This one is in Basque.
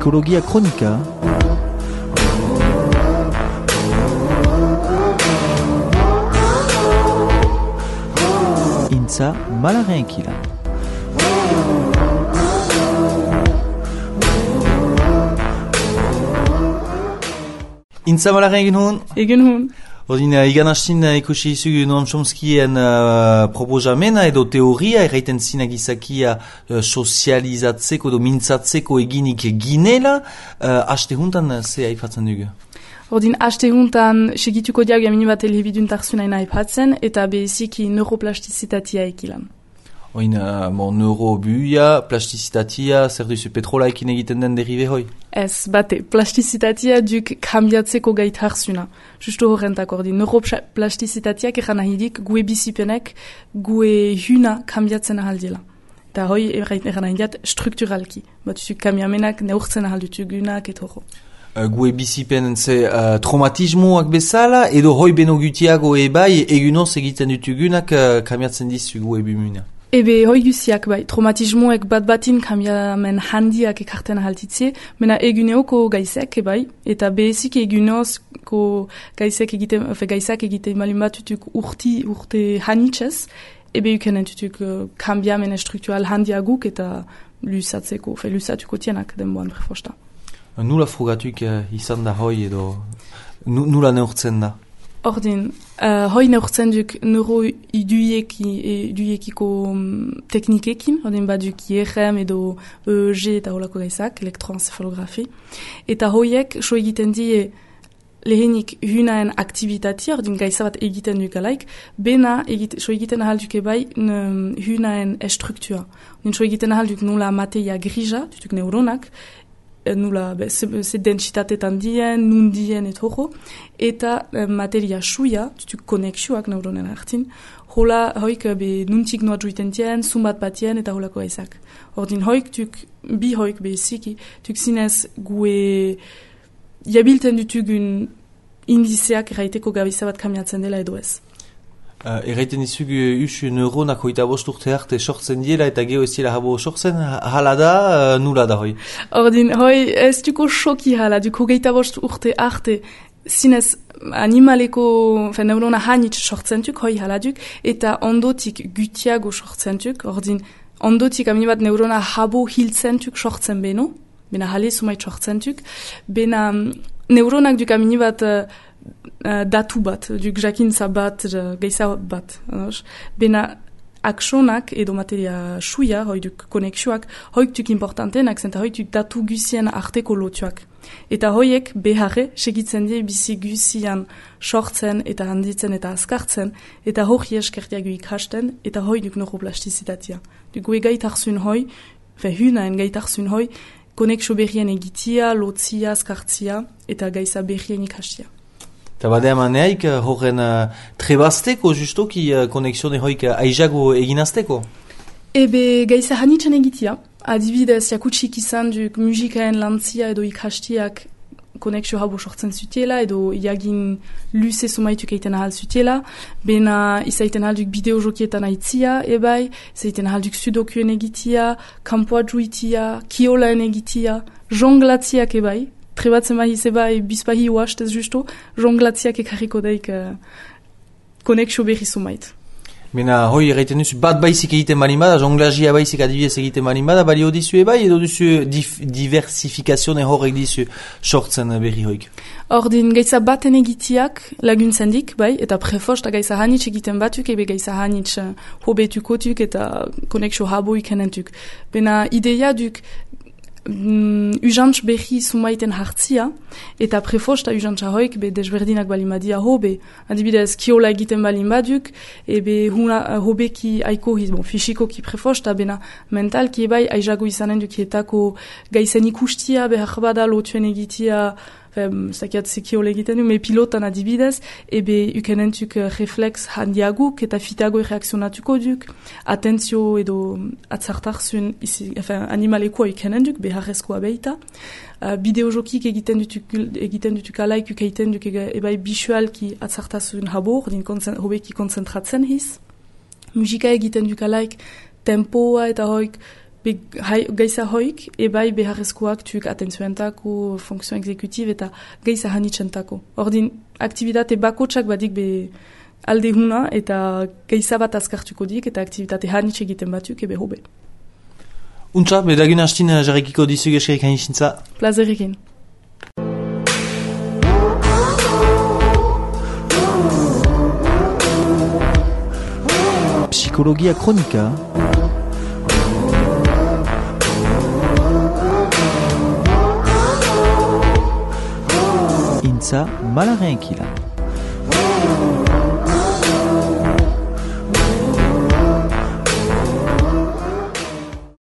Psikologia Kronika. Intza Malarenkila. Intza Malaren egin hon? Egin hon. Ordin, igan hastin ikusi izugu Noam Chomskien proposamena edo teoria erraiten zina gizakia sozializatzeko edo mintzatzeko eginik ginela, haste huntan ze aipatzen dugu? Ordin, haste huntan segituko diagu amini bat elhebidun tarzunaina aipatzen eta behiziki neuroplasticitatea ekilan. Oin, neurobuia, plasticitatea, zer duzu petrolaekin egiten den derive hoi? Ez, bate, plasticitatea duk kambiatzeko gaitarzuna. Justo horrentak ordin, neuroplasticitateak eran ahidik gue bizipenek, gue huna kambiatzen ahaldila. Eta hoi eran ahidiat strukturalki. Batuzuk kamiamenak neurtzen ahaldutugunak etoro. Gue bizipen ze traumatismoak bezala, edo hoi beno gutiago ebai egunoz egiten dutugunak kambiatzen dizu gue bimuna. Ebe hoi guziak bai, traumatismoek bat-batin kambiamen handiak ekarten ahaltitze, mena eguneoko gaizek ebai, eta behezik egunozko gaizak egiten malin bat tutuk urte hanitzez, ebe ukenen tutuk kambiamen struktural handiaguk eta lusatuko tienak denboan prefosta. Nula frugatuk izan da hoi edo nula neurtzen da? Ordin, hoi neurtzen duk neuroiduiekiko teknikekin, ordin baduk IRM edo EEG eta holako gaizak, elektroencephalografi. Eta hoiek so egiten die lehenik hunaen aktivitatea, ordin gaiza bat egiten dukalaik, bena so egiten ahalduk ebai hunaen estruktua. Ordin so egiten ahalduk nula materia grija, dutuk neuronak, nula ze densitatetan dien, nun dien etoro, eta materia suia, tutuk konexioak neuronen hartin, hola hoik nuntik noa juiten dien, zumbat batien eta holako gaizak. Ordin hoik bi hoik beziki, tuk zinez gue jabilten dutugun indizeak erraiteko gabiza bat kamiatzen dela edo ez. Erraiten izugu usu neuronak hoita bost urte arte sortzen diela eta geho ez dira habo sortzen, hala da, nula da hoi? Ordin, hoi ez duko shoki hala, duko geita bost urte arte, zinez animaleko neurona hanitz sortzen duk, hoi hala duk, eta ondotik gutiago sortzen duk, ordin, ondotik amini bat neurona habo hiltzen duk sortzen beno, bena hale sumait sortzen duk, bena neuronak duk amini bat datu bat, duk jakintza bat, geiza bat. Bena aksonak edo materia suia, hoi duk konexioak, hoik duk importantenak zen, eta hoik duk datu guzien arteko lotuak. Eta hoiek beharre segitzen die bizi guzian sortzen eta handitzen eta azkartzen, eta hori eskertiago ikasten, eta hoi duk neuroplasticitatea. Duk gue gaitarzun hoi, hunaen gaitarzun hoi, konexio berrien egitia, lotzia, azkartzia, eta gaiza berrien ikastia. Eta badea maneaik horren trebazteko justoki konexione hoik aizago eginazteko? Ebe gaiza hanitzen egitia. Adibidez, jakutsik izan duk musikaen lantzia edo ikastiak konexio habo sortzen zutela edo iagin luze sumaituk eiten ahal zutela. Bena izaiten ahalduk bideojokietan aitzia ebai, izaiten ahalduk sudokuen egitia, kampoa juitia, kiolaen egitia, jonglatziak ebai. Trebatzen bahiz ebai bizpahi uastez justo, jonglatziak ekarriko daik konexio berri sumait. Mena hoi erraiten duzu bat baizik egiten balin bada, jonglazia baizik adibidez egiten balin bada, balio dizu ebai edo duzu diversifikazione horrek dizu sortzen berri hoik? Ordin gaiza baten egitiak laguntzen dik, bai, eta prefost gaiza hanitz egiten batuk, ebe gaiza hanitz hobetukotuk eta konexio habo ikenentuk. Bena ideia duk ujantz berri sumaiten hartzia, eta prefosta ujantza hoik be desberdinak balin badia hobe. Adibidez, kiola egiten balin baduk, ebe hobeki aiko fisikoki prefosta, bena mentalki ebai aizago izanen dukietako gaizen ikustia, behar bada lotuen egitia, zakiat zekiola egiten du, me pilotan adibidez, ebe ukenentuk reflex handiaguk eta fitago reakzionatuko duk, atentzio edo atzartarzun animalekoa ukenenduk, beharrezkoa behita. Bideojokik egiten dutuk alaik ukaiten duk ebai bisualki atzartasun habo, hobeki konzentratzen hiz. Musika egiten duk alaik tempoa eta hoik geiza hoik, ebai beharrezkoak tuk atentzioentako, funkzio exekutib eta geiza hanitzentako. Ordin, aktivitate bakotsak badik be alde huna eta geiza bat azkartuko dik eta aktivitate hanitz egiten batuk ebe hobe. Untsa, bedagun hastin jarrikiko dizug eskerik hainixintza. Plazerikin. Psikologia kronika. Intza malaren kila.